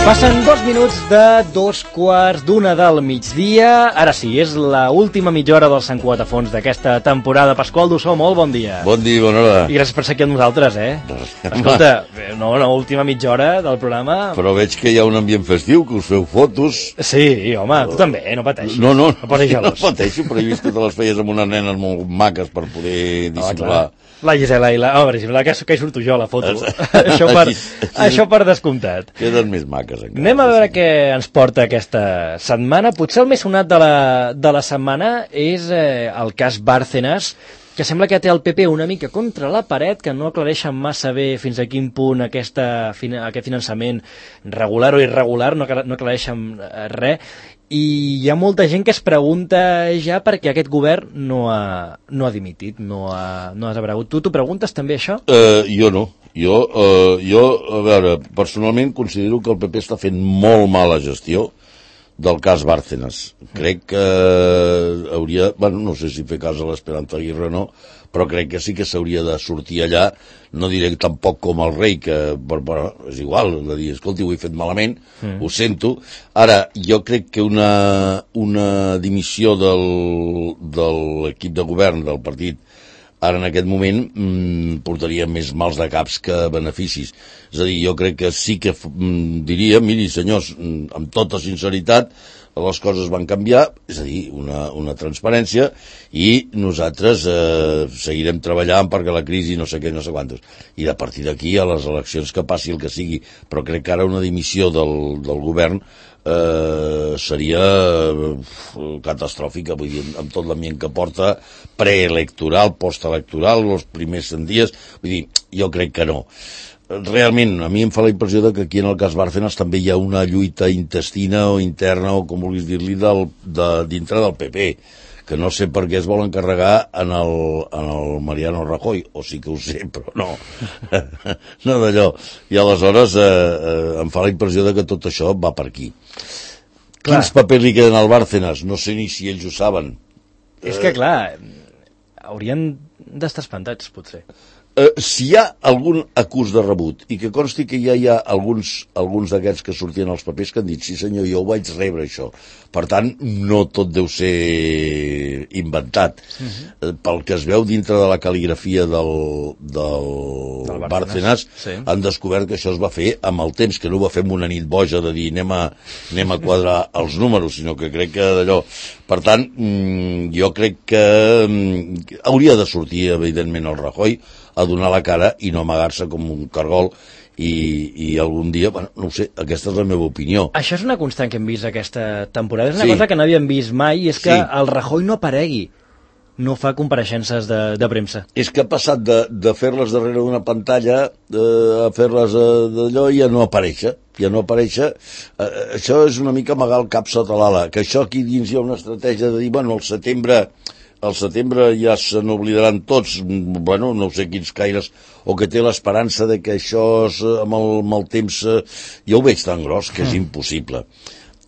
Passen 2 minuts de 2:15 del migdia. Ara sí, és l'última mitja hora del Sant Cugat a fons d'aquesta temporada. Pasqual Dussó, molt bon dia. Bon dia, bona hora. I gràcies per ser aquí amb nosaltres, Escolta, última mitja hora del programa. Però veig que hi ha un ambient festiu, que us feu fotos. Sí, home, tu també, no pateixis. No posis gelós. No pateixo, però he vist que te les feies amb unes nenes molt maques per poder dissimular. La Gisela i la... per exemple, que hi surto jo a la foto. Això per descomptat. Queden més maques encara. Anem a veure què ens porta aquesta setmana. Potser el més sonat de la setmana és el cas Bárcenas, que sembla que té el PP una mica contra la paret, que no aclareixen massa bé fins a quin punt aquest finançament regular o irregular, no aclareixen res, i hi ha molta gent que es pregunta ja perquè aquest govern no ha dimitit, no ha desaparegut. Tu t'ho preguntes també, això? Jo no. Jo, a veure, personalment considero que el PP està fent molt mala gestió del cas Bárcenas. Crec que hauria... Bueno, no sé si fer cas a l'Esperanza Aguirre o no, però crec que sí que s'hauria de sortir allà, no diré tampoc com el rei, que però és igual, de dir, escolti, ho he fet malament, ho sento. Ara, jo crec que una dimissió de l'equip de govern del partit ara en aquest moment portaria més mals de caps que beneficis. És a dir, jo crec que sí que diria, miri senyors, amb tota sinceritat, les coses van canviar, és a dir, una transparència, i nosaltres seguirem treballant perquè la crisi no sé què, no sé quantos. I a partir d'aquí, a les eleccions, que passi el que sigui. Però crec que ara una dimissió del govern seria catastròfica, vull dir, amb tot l'ambient que porta, preelectoral, postelectoral, els primers 100 dies, vull dir, jo crec que no. Realment, a mi em fa la impressió que aquí en el cas Bárcenas també hi ha una lluita intestina o interna, o com vulguis dir-li, dintre del PP, que no sé per què es vol encarregar en el Mariano Rajoy, o sí que ho sé, però no. No d'allò. I aleshores em fa la impressió que tot això va per aquí. Clar. Quins papers li queden al Bárcenas? No sé ni si ells ho saben. És que, clar, haurien d'estar espantats, potser. Si hi ha algun acús de rebut, i que consti que ja hi ha alguns d'aquests que sortien als papers que han dit, sí senyor, jo ho vaig rebre això. Per tant, no tot deu ser inventat. Pel que es veu dintre de la cal·ligrafia del Bárcenas, sí, han descobert que això es va fer amb el temps, que no ho va fer amb una nit boja de dir anem a quadrar els números, sinó que crec que d'allò... Per tant, jo crec que hauria de sortir, evidentment, el Rajoy a donar la cara i no amagar-se com un cargol i algun dia, bueno, no ho sé, aquesta és la meva opinió. Això és una constant que hem vist aquesta temporada, és una cosa que no havíem vist mai, i és que el Rajoy no aparegui, no fa compareixences de premsa. És que ha passat de fer-les darrere d'una pantalla a fer-les d'allò i a no aparèixer. Això és una mica amagar el cap sota l'ala, que això aquí dins hi ha una estratègia de dir, bueno, al setembre ja se n'oblidaran tots, bueno, no sé quins caires, o que té l'esperança de que això amb el temps jo ho veig tan gros que és impossible.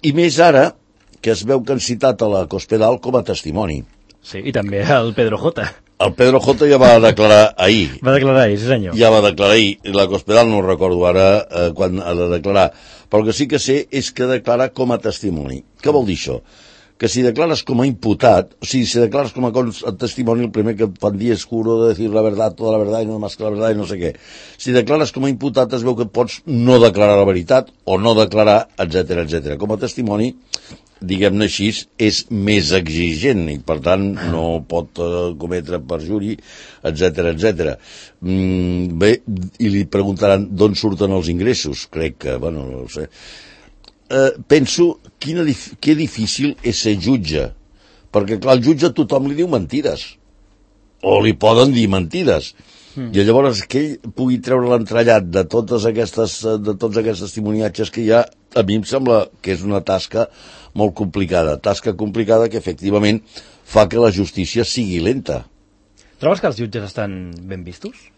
I més ara que es veu que han citat a la Cospedal com a testimoni. Sí, i també el Pedro J. El Pedro J ja va declarar ahir. Va declarar ahir, sí senyor. Ja va declarar ahir. La Cospedal no recordo ara quan ha de declarar. Però el que sí que sé és que declara com a testimoni. Què vol dir això? Que si declares com a imputat, o sigui, si declares com a testimoni, el primer que et fan dir és juro de decir la verdad, toda la verdad, i no más que la verdad, i no sé què. Si declares com a imputat, es veu que pots no declarar la veritat, o no declarar, etc. Com a testimoni, diguem-ne així, és més exigent, i per tant no pot cometre perjuri, etc. Bé, i li preguntaran d'on surten els ingressos. Crec que, bueno, no ho sé. Penso que difícil és ser jutge, perquè clar, el jutge a tothom li diu mentides, o li poden dir mentides, i llavors que ell pugui treure l'entrellat de tots aquests testimoniatges que hi ha, a mi em sembla que és una tasca molt complicada, que efectivament fa que la justícia sigui lenta. Trobes que els jutges estan ben vistos?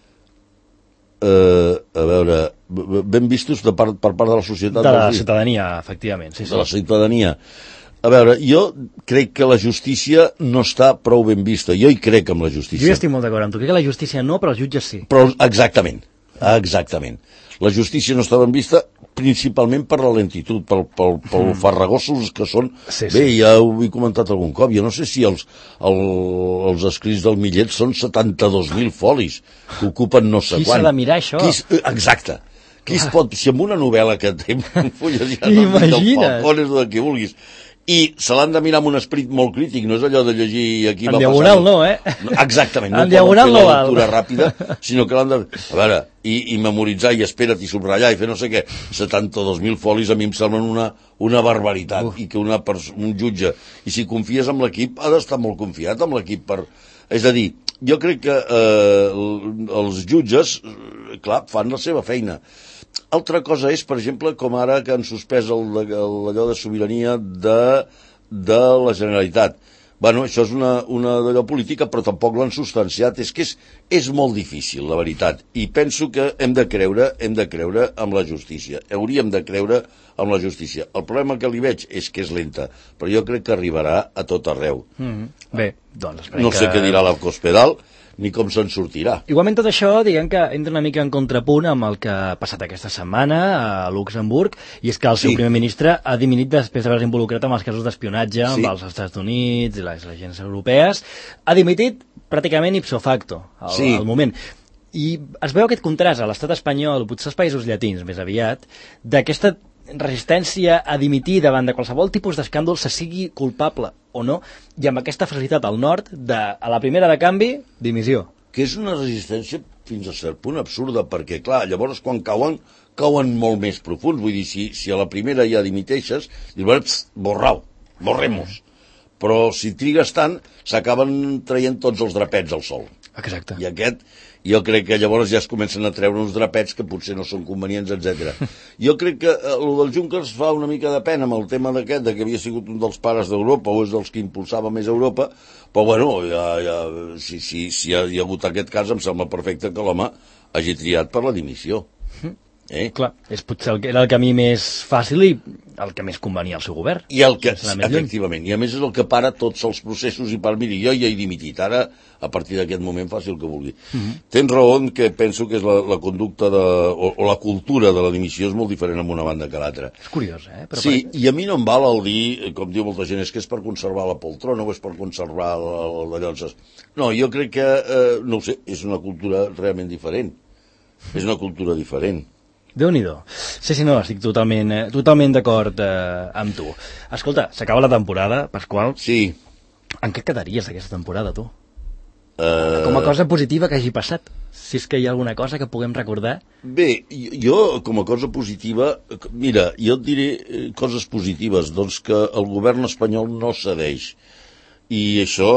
A veure, ben vistos per part de la societat? De la ciutadania, efectivament. Sí. De la ciutadania. A veure, jo crec que la justícia no està prou ben vista. Jo hi crec en la justícia. Jo hi estic molt d'acord amb tu. Crec que la justícia no, però els jutges sí. Però exactament. Exactament. La justícia no estava en vista principalment per la lentitud, pel farragosos que són. Bé, ja ho he comentat algun cop, jo no sé si els escrits del Millet són 72.000 folis, que ocupen no sé quant. Qui s'ha de mirar això? Exacte. Qui es pot, si amb una novel·la que té fulles ja imagina't, falcones o del que vulguis, i se l'han de mirar amb un esperit molt crític, no és allò de llegir aquí en diagonal no, exactament, no en diagonal no val, lectura ràpida, sinó que l'han de, a veure, i memoritzar i espera't i subratllar i fer no sé què, 72.000 folis a mi em semblen una barbaritat. I que un jutge, i si confies en l'equip ha d'estar molt confiat en l'equip és a dir, jo crec que els jutges clar, fan la seva feina. Altra cosa és, per exemple, com ara que han suspès allò de sobirania de la Generalitat. Bueno, això és una d'allò política, però tampoc l'han substanciat. És que és molt difícil, la veritat. I penso que hem de creure en la justícia. Hauríem de creure en la justícia. El problema que li veig és que és lenta, però jo crec que arribarà a tot arreu. Bé, doncs esperem no sé què dirà la Cospedal, ni com se'n sortirà. Igualment tot això, diguem que entra una mica en contrapunt amb el que ha passat aquesta setmana a Luxemburg, i és que el seu primer ministre ha dimitit després d'haver-se involucrat amb els casos d'espionatge amb els Estats Units i les agències europees. Ha dimitit pràcticament ipso facto al moment. I es veu aquest contrast a l'estat espanyol, potser als països llatins més aviat, d'aquesta resistència a dimitir davant de qualsevol tipus d'escàndol, se sigui culpable o no, i amb aquesta facilitat al nord a la primera de canvi, dimissió. Que és una resistència fins a cert punt absurda, perquè clar, llavors quan cauen molt més profuns, vull dir, si a la primera ja dimiteixes, dius, borremos. Però si trigues tant, s'acaben traient tots els drapets al sol. Exacte. I jo crec que llavors ja es comencen a treure uns drapets que potser no són convenients, etc. Jo crec que el del Juncker fa una mica de pena amb el tema d'aquest, que havia sigut un dels pares d'Europa o és dels que impulsava més Europa, però bueno, si hi ha hagut aquest cas, em sembla perfecte que l'home hagi triat per la dimissió. Clar, és potser era el camí més fàcil i el que més convenia al seu govern. I efectivament, i a més és el que para tots els processos i miri, jo ja he dimitit, ara a partir d'aquest moment faci el que vulgui. Tens raó en que penso que és la conducta o la cultura de la dimissió és molt diferent en una banda que l'altra. És curiós, Però sí, i a mi no em val el dir, com diu molta gent, és que és per conservar la poltrona o és per conservar allò. No, jo crec que, no ho sé, és una cultura realment diferent. És una cultura diferent. Déu-n'hi-do. Sí, no, estic totalment d'acord amb tu. Escolta, s'acaba la temporada, Pasqual. Sí. En què quedaries d'aquesta temporada, tu? Com a cosa positiva que hagi passat, si és que hi ha alguna cosa que puguem recordar. Bé, jo com a cosa positiva, mira, jo et diré coses positives, doncs que el govern espanyol no cedeix. I això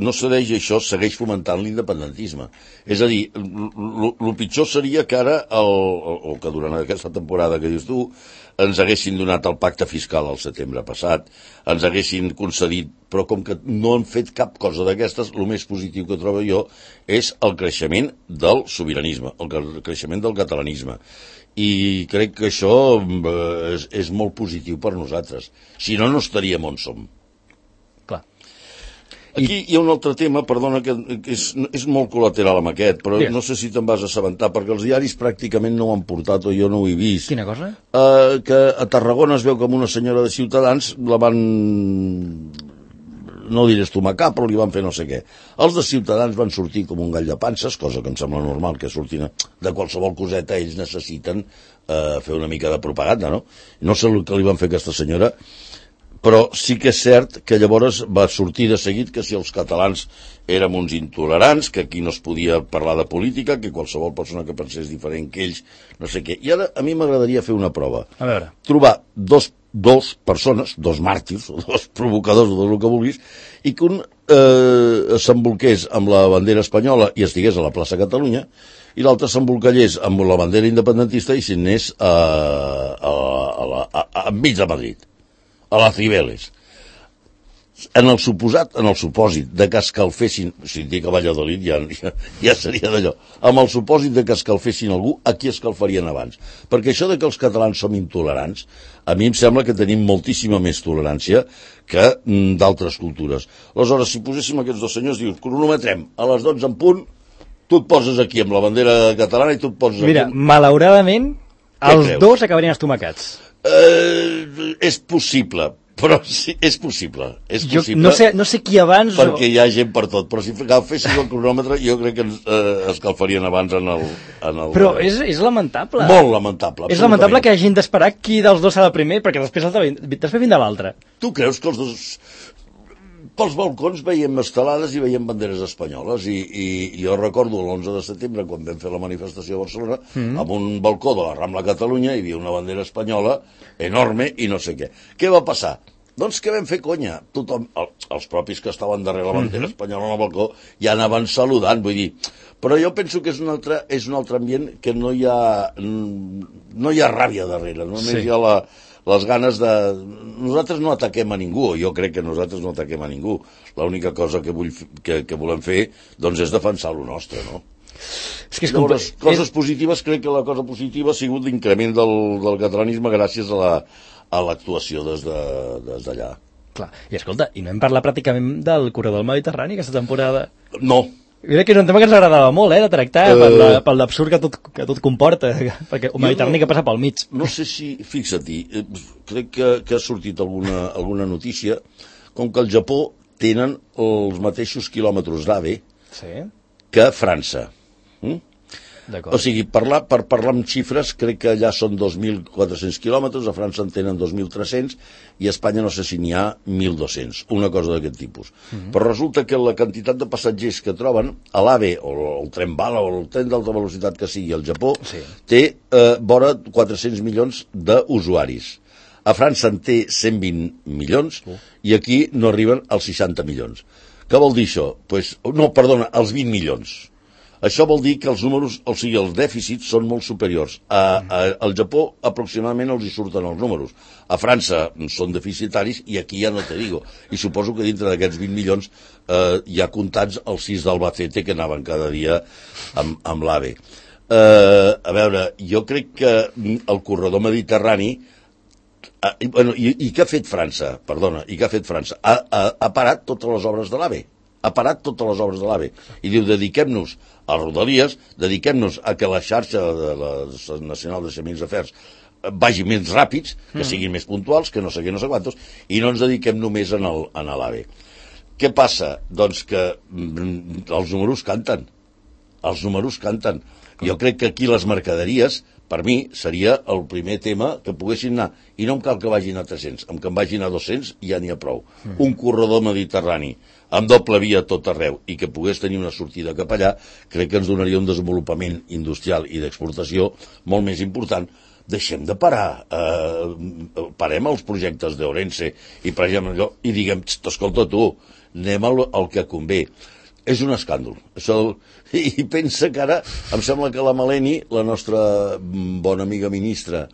no cedeix, això segueix fomentant l'independentisme. És a dir, el pitjor seria que ara, o que durant aquesta temporada que dius tu, ens haguessin donat el pacte fiscal al setembre passat, ens haguessin concedit, però com que no han fet cap cosa d'aquestes, el més positiu que trobo jo és el creixement del sobiranisme, el creixement del catalanisme. I crec que això és molt positiu per nosaltres. Si no, no estaríem on som. Aquí hi ha un altre tema, perdona, que és molt col·lateral amb aquest, però no sé si te'n vas assabentar, perquè els diaris pràcticament no ho han portat o jo no ho he vist. Quina cosa? Que a Tarragona es veu que amb una senyora de Ciutadans la van, no diré estomacar, però li van fer no sé què. Els de Ciutadans van sortir com un gall de panses, cosa que em sembla normal, que sortin de qualsevol coseta, ells necessiten fer una mica de propaganda, no? No sé el que li van fer a aquesta senyora, però sí que és cert que llavors va sortir de seguit que si els catalans érem uns intolerants, que aquí no es podia parlar de política, que qualsevol persona que pensés diferent que ells, no sé què. I ara a mi m'agradaria fer una prova. A veure. Trobar dos persones, dos màrtirs, o dos provocadors, o tot el que vulguis, i que un s'embolqués amb la bandera espanyola i estigués a la plaça Catalunya, i l'altre s'embolcallés amb la bandera independentista i s'anés enmig de Madrid, a la Cibeles. En el supòsit de que escalfessin, si dic a Valladolid ja seria d'allò, amb el supòsit de que escalfessin algú, a qui escalfarien abans? Perquè això de que els catalans som intolerants, a mi em sembla que tenim moltíssima més tolerància que d'altres cultures. Aleshores, si poséssim aquests dos senyors, dius, cronometrem, a les 12 en punt, Tu et poses aquí amb la bandera catalana i tu et poses Mira, aquí... malauradament, els dos acabarien estomacats. És possible, però sí, és possible. És possible. No sé qui abans... Perquè hi ha gent per tot, però si fessis el cronòmetre jo crec que escalfarien abans en el... Però és lamentable. Molt lamentable. És lamentable que hagin d'esperar qui dels dos serà el primer, perquè després vindrà l'altre. Tu creus que els dos... Pels balcons veiem estelades i veiem banderes espanyoles i jo recordo l'11 de setembre quan vam fer la manifestació a Barcelona amb un balcó de la Rambla Catalunya hi havia una bandera espanyola enorme i no sé què. Què va passar? Doncs que vam fer conya. Tothom, els propis que estaven darrere la bandera espanyola al balcó ja anaven saludant, vull dir. Però jo penso que és un altre ambient que no hi ha ràbia darrere, només hi ha les ganes de... Nosaltres no ataquem a ningú, jo crec que nosaltres no ataquem a ningú. L'única cosa que volem fer doncs és defensar lo nostre, no? Llavors, coses positives, crec que la cosa positiva ha sigut l'increment del catalanisme gràcies a l'actuació des d'allà. Clar, i escolta, i no hem parlat pràcticament del corredor del Mediterrani aquesta temporada? No. Mira que és un tema que ens agradava molt, de tractar, pel l'absurd que tot comporta, perquè el Mediterrani que passa pel mig. No sé si, fixa't-hi, crec que ha sortit alguna notícia, com que al Japó tenen els mateixos quilòmetres d'AVE que França. O sigui, per parlar amb xifres, crec que allà són 2.400 quilòmetres, a França en tenen 2.300 i a Espanya no sé si n'hi ha 1.200, una cosa d'aquest tipus. Però resulta que la quantitat de passatgers que troben a l'AVE, o el tren bala, o el tren d'alta velocitat que sigui al Japó, té vora 400 milions d'usuaris. A França en té 120 milions i aquí no arriben als 60 milions. Què vol dir això? No, perdona, als 20 milions. Això vol dir que els números, o sigui, els dèficits són molt superiors. Al Japó aproximadament els hi surten els números. A França són deficitaris i aquí ja no te digo. I suposo que dintre d'aquests 20 milions hi ha comptats els 6 d'Albacete que anaven cada dia amb l'AVE. A veure, jo crec que el corredor mediterrani i què ha fet França? Perdona, i què ha fet França? Ha parat totes les obres de l'AVE. Ha parat totes les obres de l'AVE. I diu, dediquem-nos a Rodalies, dediquem-nos a que la xarxa de la Nacional de Chemins Afers vagi més ràpids, que siguin més puntuals, que no sé què, no sé quantos, i no ens dediquem només a l'AVE. Què passa? Doncs que els números canten. Els números canten. Jo crec que aquí les mercaderies, per mi, seria el primer tema que poguessin anar. I no em cal que vagin a 300, amb que en vagin a 200 ja n'hi ha prou. Un corredor mediterrani amb doble via a tot arreu i que pogués tenir una sortida cap allà, crec que ens donaria un desenvolupament industrial i d'exportació molt més important. Deixem de parar, parem els projectes d'Ourense i parem allò i diguem, escolta tu, anem al que convé. És un escàndol. I pensa que ara, em sembla que la Maleni, la nostra bona amiga ministra,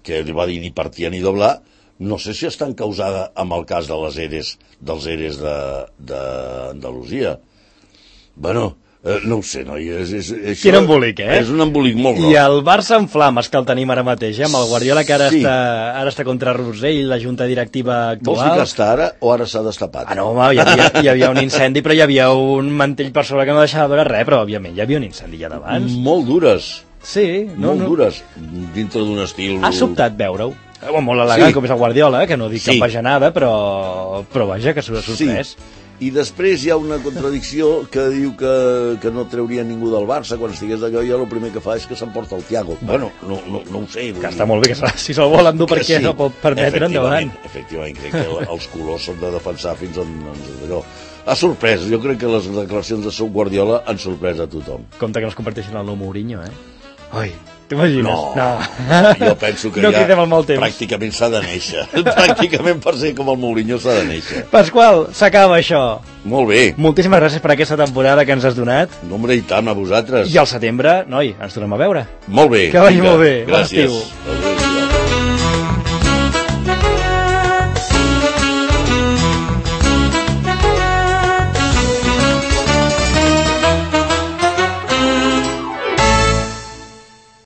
que li va dir ni partia ni doblar, no sé si està encausada amb el cas de dels ERES d'Andalusia. Bueno, no ho sé, noi. Quin embolic, És un embolic molt gros. I el Barça en flames, que el tenim ara mateix, amb el Guardiola, que ara està contra Rosell, la junta directiva actual. Vols dir que està ara o ara s'ha destapat? No, home, hi havia un incendi, però hi havia un mantell per sobre que no deixava veure res, però, òbviament, hi havia un incendi ja d'abans. Molt dures. Sí. Molt dures, dintre d'un estil... Ha sobtat veure-ho. Molt elegant, com és el Guardiola, que no dic cap bajanada, però vaja, que s'ho ha sorprès. I després hi ha una contradicció que diu que no trauria ningú del Barça quan estigués d'allò i el primer que fa és que s'emporta el Thiago. Bueno, no ho sé. Que està molt bé, que si se'l vol endur perquè no pot permetre endavant. Efectivament, crec que els colors s'han de defensar fins on allò. Ha sorprès, jo crec que les declaracions de Seu Guardiola han sorprès a tothom. Compte que no es converteixen en el nou Mourinho, Oi, t'imagines? No. Jo penso que pràcticament s'ha de néixer. Pràcticament per ser com el Mourinho s'ha de néixer. Pasqual, s'acaba això. Molt bé. Moltíssimes gràcies per aquesta temporada que ens has donat. No, hombre, i tant, a vosaltres. I al setembre, noi, ens tornem a veure. Molt bé. Que vagi molt bé. Gràcies.